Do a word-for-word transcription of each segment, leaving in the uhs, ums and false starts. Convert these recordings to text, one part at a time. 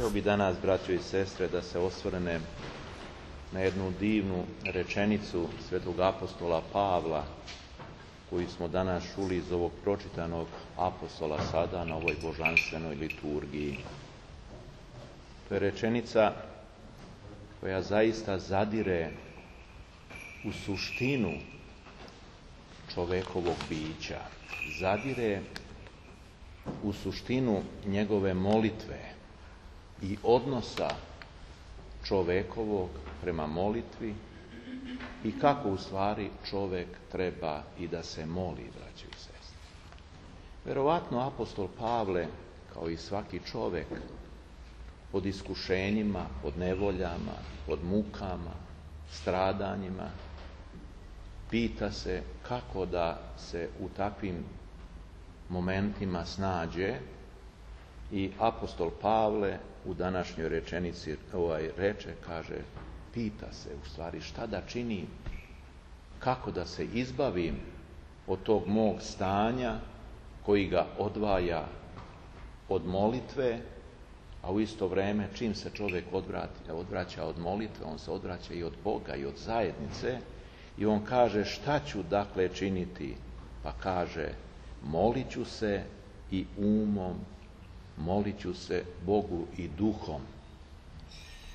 Htio bi danas, braćo i sestre, da se osvrnem na jednu divnu rečenicu svetog apostola Pavla, koju smo danas čuli iz ovog pročitanog apostola sada na ovoj božanstvenoj liturgiji. To je rečenica koja zaista zadire u suštinu čovekovog bića, zadire u suštinu njegove molitve i odnosa čovekovog prema molitvi i kako u stvari čovek treba i da se moli, braćo i sestre. Verovatno apostol Pavle, kao i svaki čovek, pod iskušenjima, pod nevoljama, pod mukama, stradanjima, pita se kako da se u takvim momentima snađe i apostol Pavle u današnjoj rečenici ovaj reče, kaže, pita se u stvari šta da činim, kako da se izbavim od tog mog stanja koji ga odvaja od molitve, a u isto vrijeme čim se čovjek odvrati, odvraća od molitve, on se odvraća i od Boga i od zajednice i on kaže šta ću dakle činiti, pa kaže molit ću se i umom, molit ću se Bogu i duhom,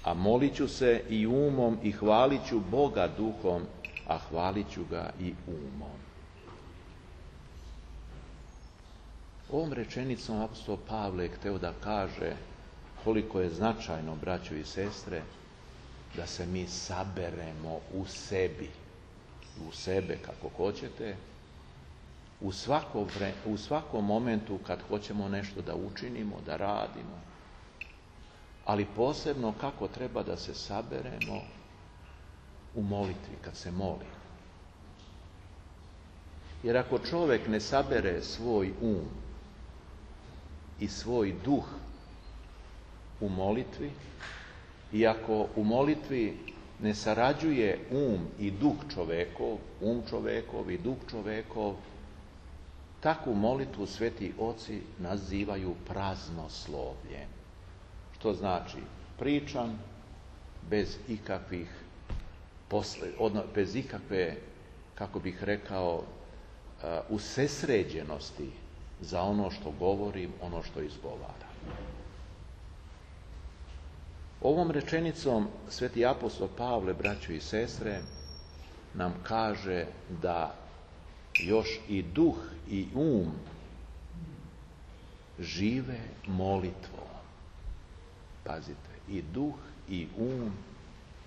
a molit ću se i umom i hvalit ću Boga duhom, a hvalit ću ga i umom. Ovom rečenicom apostol Pavle je hteo da kaže koliko je značajno, braćo i sestre, da se mi saberemo u sebi, u sebe kako hoćete, u, svako vre, u svakom momentu kad hoćemo nešto da učinimo, da radimo, ali posebno kako treba da se saberemo u molitvi, kad se moli. Jer ako čovjek ne sabere svoj um i svoj duh u molitvi, i ako u molitvi ne sarađuje um i duh čovekov, um čovekov i duh čovekov, takvu molitvu sveti oci nazivaju praznoslovljem. Što znači pričam bez ikakvih posle, odno, bez ikakve, kako bih rekao, uh, usesređenosti za ono što govorim, ono što izgovaram. Ovom rečenicom sveti apostol Pavle, braćo i sestre, nam kaže da još i duh i um žive molitvom. Pazite, i duh i um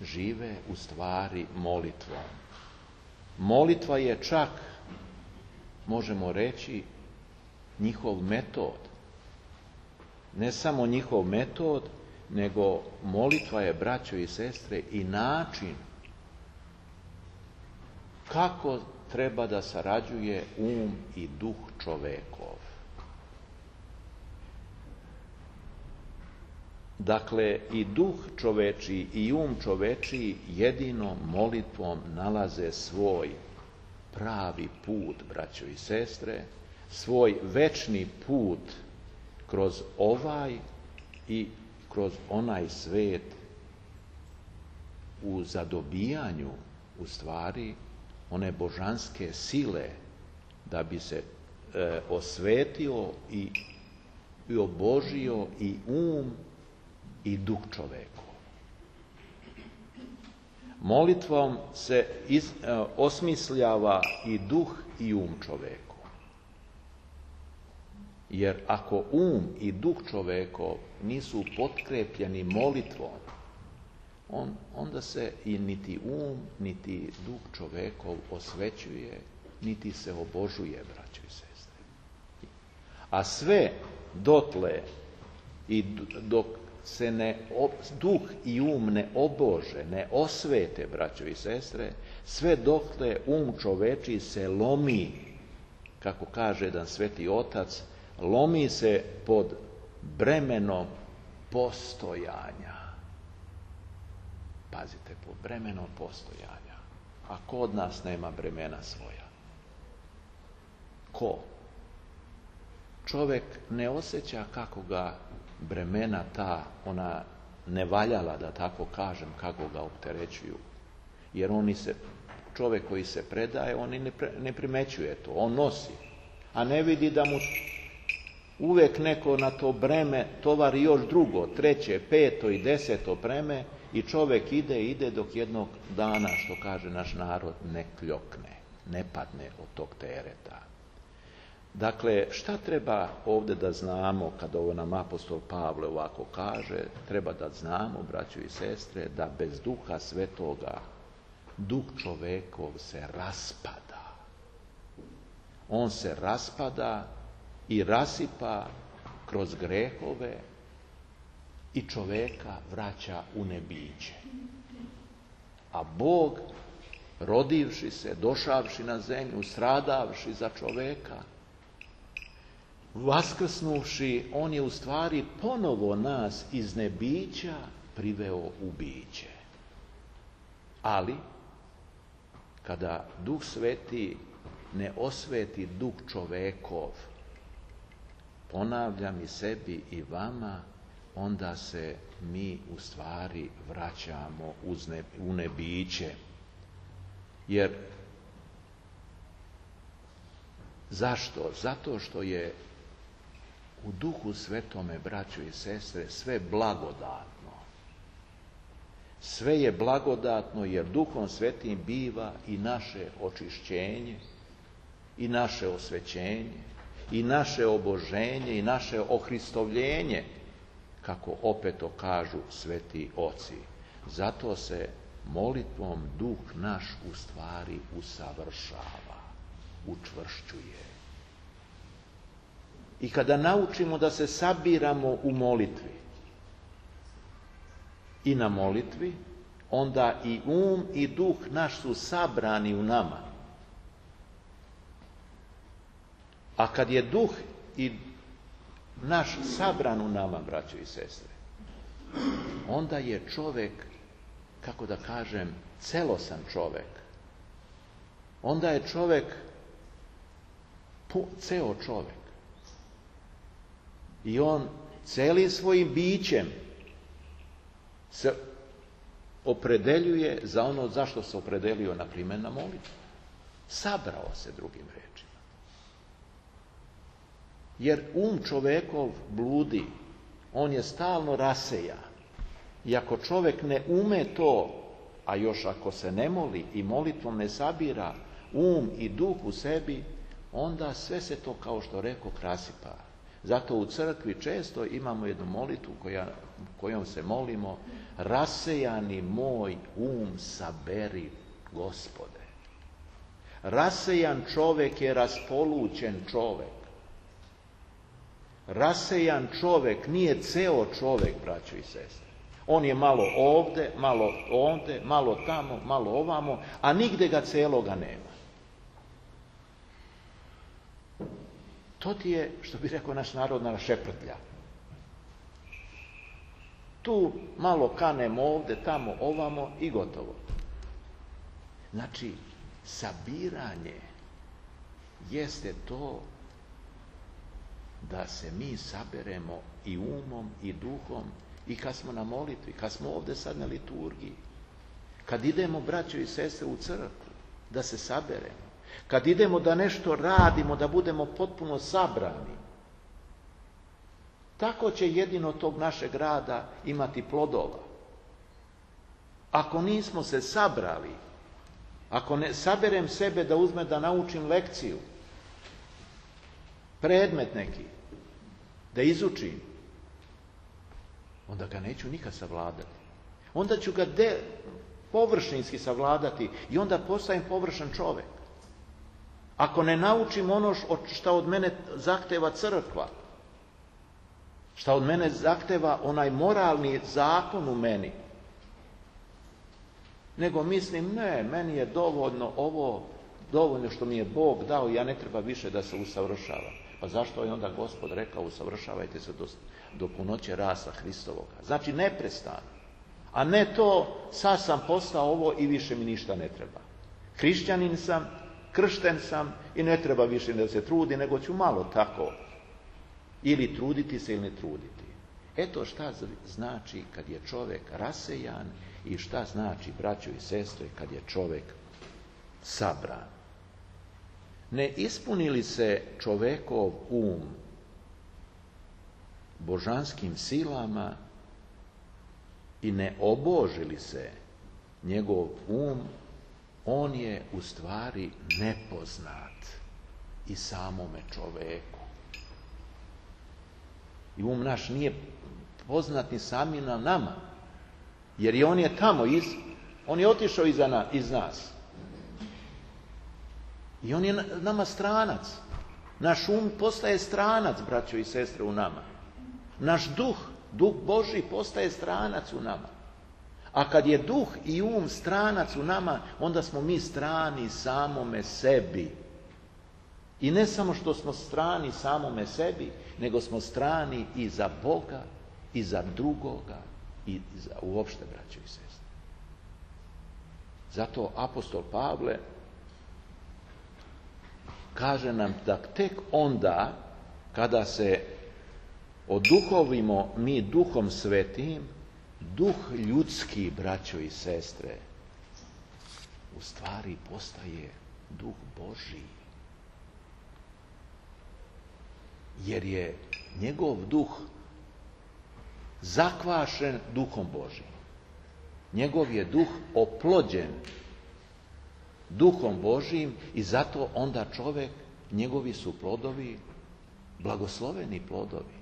žive u stvari molitvom. Molitva je čak, možemo reći, njihov metod. Ne samo njihov metod, nego molitva je, braćo i sestre, i način kako treba da sarađuje um i duh čovekov. Dakle, i duh čovečiji i um čovečiji jedino molitvom nalaze svoj pravi put, braćo i sestre, svoj večni put kroz ovaj i kroz onaj svet u zadobijanju, u stvari, one božanske sile da bi se e, osvetio i, i obožio i um i duh čoveku. Molitvom se iz, e, osmisljava i duh i um čoveku. Jer ako um i duh čovekov nisu potkrepljeni molitvom, on, onda se i niti um, niti duh čovekov osvećuje, niti se obožuje, braćo i sestre. A sve dotle i dok se ne, duh i um ne obože, ne osvete, braćo i sestre, sve dotle um čoveči se lomi, kako kaže jedan sveti otac, lomi se pod bremenom postojanja. Pazite, pod bremenom postojanja. A ko od nas nema bremena svoja? Ko? Čovjek ne osjeća kako ga bremena ta, ona nevaljala, da tako kažem, kako ga opterećuju. Jer oni se, čovjek koji se predaje, on ne, pre, ne primećuje to, on nosi. A ne vidi da mu uvijek neko na to breme tovari još drugo, treće, peto i deseto breme i čovjek ide, ide dok jednog dana, što kaže naš narod, ne kljokne, ne padne od tog tereta. Dakle, šta treba ovdje da znamo, kad ovo nam apostol Pavle ovako kaže, treba da znamo, braćo i sestre, da bez Duha Svetoga duh čovekov se raspada. On se raspada i rasipa kroz grehove i čoveka vraća u nebiće. A Bog, rodivši se, došavši na zemlju, stradavši za čoveka, vaskrsnuvši, on je u stvari ponovo nas iz nebića priveo u biće. Ali, kada Duh Sveti ne osveti duh čovekov, ponavljam i sebi i vama, onda se mi u stvari vraćamo u nebiće. Jer, zašto? Zato što je u Duhu Svetome, braćo i sestre, sve blagodatno. Sve je blagodatno jer Duhom Svetim biva i naše očišćenje, i naše osvećenje, i naše oboženje, i naše ohristovljenje, kako opet to kažu sveti oci. Zato se molitvom Duh naš u stvari usavršava, učvršćuje. I kada naučimo da se sabiramo u molitvi i na molitvi, onda i um i duh naš su sabrani u nama. A kad je duh i naš sabran u nama, braćo i sestre, onda je čovjek, kako da kažem, celosan čovjek. Onda je čovjek ceo čovjek. I on celim svojim bićem se opredeljuje za ono zašto se opredelio, na primjer, na molitvu. Sabrao se, drugim rečima. Jer um čovekov bludi, on je stalno rasejan. I ako čovjek ne ume to, a još ako se ne moli i molitvom ne sabira um i duh u sebi, onda sve se to, kao što rekao, rasipa. Zato u crkvi često imamo jednu molitvu koja, kojom se molimo: rasejani moj um saberi, Gospode. Rasejan čovjek je raspolućen čovjek. Rasejan čovjek nije ceo čovjek, braćo i sestre. On je malo ovdje, malo ovdje, malo tamo, malo ovamo, a nigde ga celoga nema. To ti je, što bi rekao naš narod, na šeprtlja. Tu malo kanemo ovdje, tamo, ovamo i gotovo. Znači, sabiranje jeste to da se mi saberemo i umom i duhom i kad smo na molitvi, kad smo ovdje sad na liturgiji, kad idemo, braćo i sestre, u crkvu, da se saberemo. Kad idemo da nešto radimo, da budemo potpuno sabrani. Tako će jedino tog našeg rada imati plodova. Ako nismo se sabrali, ako ne saberem sebe da uzme da naučim lekciju, predmet neki, da izučim, onda ga neću nikad savladati. Onda ću ga de, površinski savladati i onda postajem površan čovjek. Ako ne naučim ono što od mene zahteva crkva, što od mene zahteva onaj moralni zakon u meni, nego mislim, ne, meni je dovoljno ovo, dovoljno što mi je Bog dao, ja ne treba više da se usavršavam. Pa zašto je onda Gospod rekao: usavršavajte se do, do punoće rasa Hristovoga? Znači neprestano. A ne to, sad sam postao ovo i više mi ništa ne treba. Hrišćanin sam, kršten sam i ne treba više da se trudi, nego ću malo tako ili truditi se ili ne truditi. Eto šta znači kad je čovjek rasejan i šta znači, braćo i sestre, kad je čovjek sabran. Ne ispuni li se čovjekov um božanskim silama i ne oboži li se njegov um, on je u stvari nepoznat i samome čovjeku. I um naš nije poznat ni sami na nama, jer i on je tamo, iz, on je otišao iza na, iz nas. I on je nama stranac. Naš um postaje stranac, braćo i sestre, u nama. Naš duh, duh Božji postaje stranac u nama. A kad je duh i um stranac u nama, onda smo mi strani samome sebi. I ne samo što smo strani samome sebi, nego smo strani i za Boga, i za drugoga, i za uopšte, braćo i sestre. Zato apostol Pavle kaže nam da tek onda, kada se oduhovimo mi Duhom Svetim, duh ljudski, braćo i sestre, u stvari postaje duh Božji. Jer je njegov duh zakvašen duhom Božjim. Njegov je duh oplođen duhom Božjim i zato onda čovjek, njegovi su plodovi blagosloveni plodovi.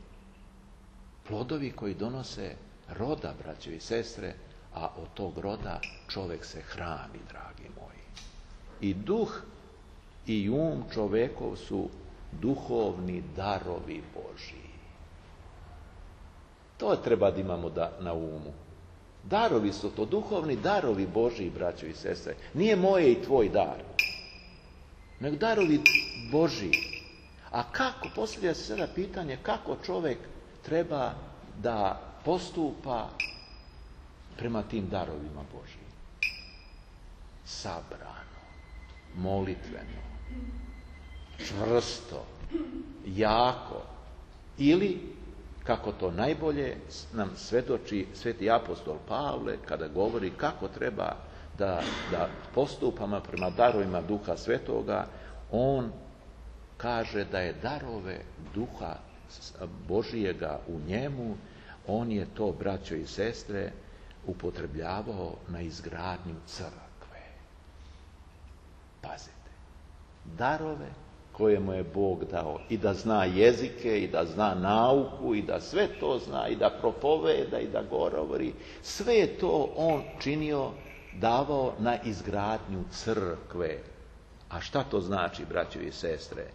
Plodovi koji donose roda, braćo i sestre, a od tog roda čovjek se hrani, dragi moji. I duh i um čovjekov su duhovni darovi Božji. To treba da imamo da, na umu. Darovi su to, duhovni darovi Božji, braćo i sestre. Nije moje i tvoj dar, nego darovi Božji. A kako, postavlja se sada pitanje, kako čovjek treba da postupa prema tim darovima Božjim? Sabrano, molitveno, čvrsto, jako, ili kako to najbolje nam svedoči sveti apostol Pavle kada govori kako treba da, da postupamo prema darovima Duha Svetoga. On kaže da je darove Duha Božijega u njemu, on je to, braćo i sestre, upotrebljavao na izgradnju crkve. Pazite, darove koje mu je Bog dao, i da zna jezike, i da zna nauku, i da sve to zna, i da propoveda, i da govori, sve je to on činio, davao na izgradnju crkve. A šta to znači, braćo i sestre?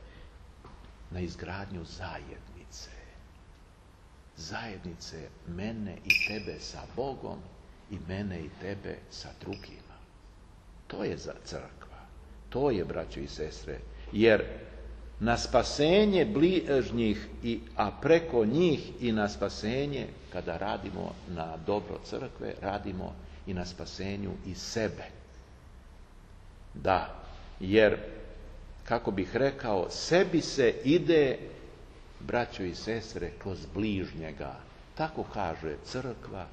Na izgradnju zajednice. Zajednice mene i tebe sa Bogom i mene i tebe sa drugima. To je za crkva. To je, braćo i sestre, jer na spasenje bližnjih, i, a preko njih i na spasenje, kada radimo na dobro crkve, radimo i na spasenju i sebe. Da, jer, kako bih rekao, sebi se ide, braćo i sestre, kroz bližnjega. Tako kaže crkva,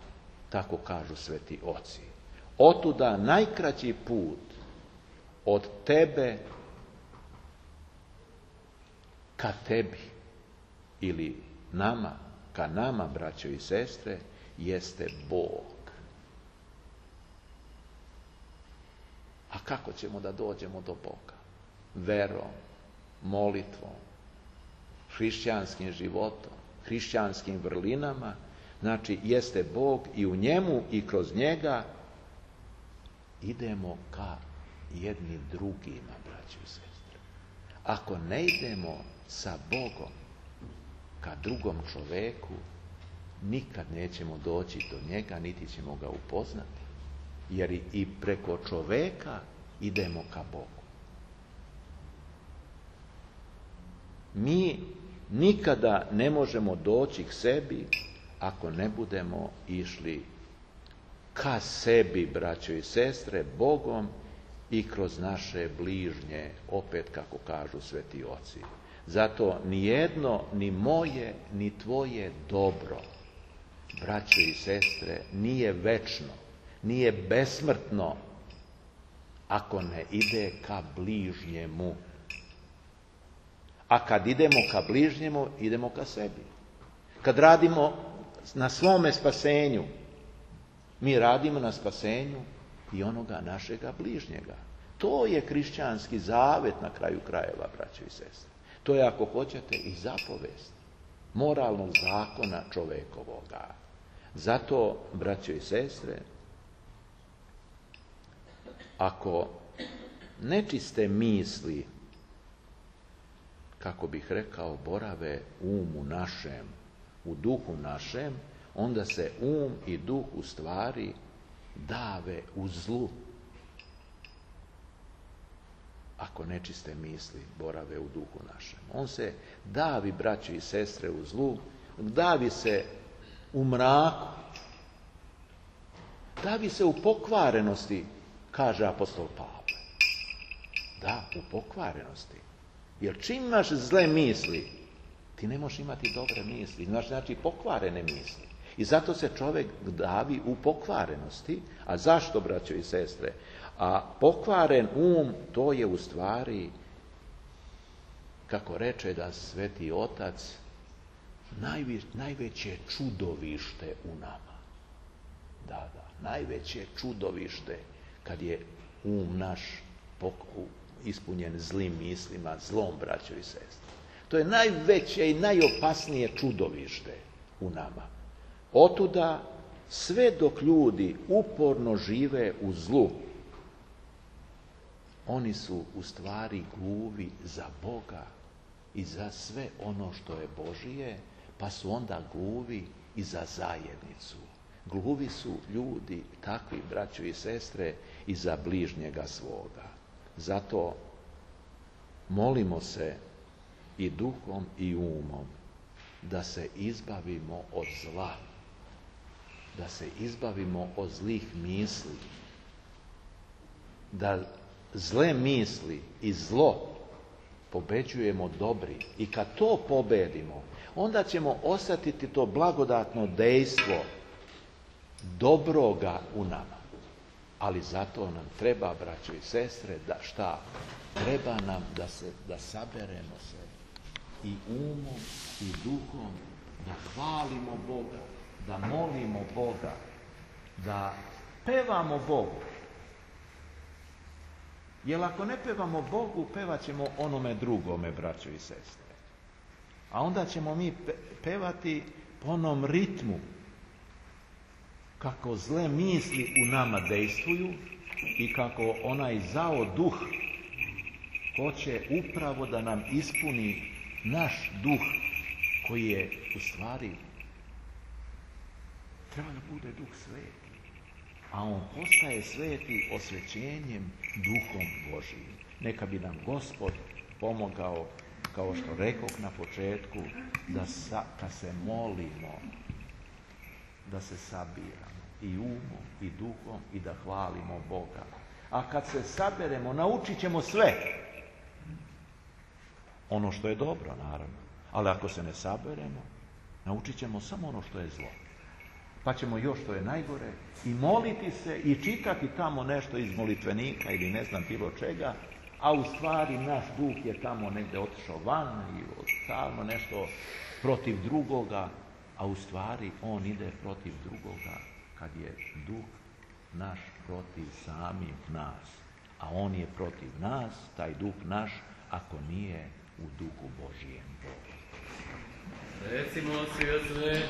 tako kažu sveti oci. Otuda najkraći put od tebe ka tebi, ili nama, ka nama, braćo i sestre, jeste Bog. A kako ćemo da dođemo do Boga? Verom, molitvom, hrišćanskim životom, hrišćanskim vrlinama. Znači, jeste Bog i u njemu i kroz njega idemo ka jedni drugima, braćo i sestre. Ako ne idemo sa Bogom ka drugom čoveku, nikad nećemo doći do njega, niti ćemo ga upoznati. Jer i preko čoveka idemo ka Bogu. Mi nikada ne možemo doći k sebi ako ne budemo išli ka sebi, braćo i sestre, Bogom i kroz naše bližnje, opet kako kažu sveti oci. Zato ni jedno, ni moje, ni tvoje dobro braćo i sestre, nije večno, nije besmrtno ako ne ide ka bližnjemu. A kad idemo ka bližnjemu, idemo ka sebi. Kad radimo na svome spasenju, mi radimo na spasenju i onoga našega bližnjega. To je kršćanski zavet na kraju krajeva, braćo i sestre. To je, ako hoćete, i zapovest moralnog zakona čovekovoga. Zato, braćo i sestre, ako nečiste misli, kako bih rekao, borave u umu našem, u duhu našem, onda se um i duh u stvari dave u zlu. Ako nečiste misli borave u duhu našem. On se davi, braći i sestre, u zlu, davi se u mraku, davi se u pokvarenosti, kaže apostol Pavle. Da, u pokvarenosti. Jer čim imaš zle misli, ti ne možeš imati dobre misli. Znaš, znači pokvarene misli. I zato se čovjek davi u pokvarenosti. A zašto, braćo i sestre? A pokvaren um, to je u stvari, kako reče da Sveti Otac, najve, najveće čudovište u nama. Da, da, najveće čudovište kad je um naš poku, ispunjen zlim mislima, zlom, braćo i sestre. To je najveće i najopasnije čudovište u nama. Otuda, sve dok ljudi uporno žive u zlu, oni su u stvari gluvi za Boga i za sve ono što je Božije, pa su onda gluvi i za zajednicu. Gluvi su ljudi, takvi, braćo i sestre, i za bližnjega svoga. Zato molimo se i duhom i umom da se izbavimo od zla, da se izbavimo od zlih misli, da zle misli i zlo pobeđujemo dobri. I kad to pobedimo, onda ćemo osjetiti to blagodatno dejstvo dobroga u nama. Ali zato nam treba, braćo i sestre, da šta? Treba nam da se, da saberemo se i umom i duhom, da hvalimo Boga, da molimo Boga, da pevamo Bogu. Jer ako ne pevamo Bogu, pevat ćemo onome drugome, braćo i sestre. A onda ćemo mi pevati po onom ritmu, kako zle misli u nama dejstvuju i kako onaj zao duh hoće upravo da nam ispuni naš duh, koji je u stvari treba da bude duh sveti. A on postaje sveti osvećenjem duhom Božijim. Neka bi nam Gospod pomogao, kao što rekoh na početku, da sa, kad se molimo, da se sabiramo i umom i duhom i da hvalimo Boga. A kad se saberemo, naučit ćemo sve. Ono što je dobro, naravno. Ali ako se ne saberemo, naučit ćemo samo ono što je zlo. Pa ćemo još što je najgore i moliti se i čitati tamo nešto iz molitvenika ili ne znam bilo čega, a u stvari naš duh je tamo negdje otišao van i stalno nešto protiv drugoga, a u stvari on ide protiv drugoga kad je duh naš protiv samih nas. A on je protiv nas, taj duh naš, ako nije u duhu Božijem. Recimo svi od sve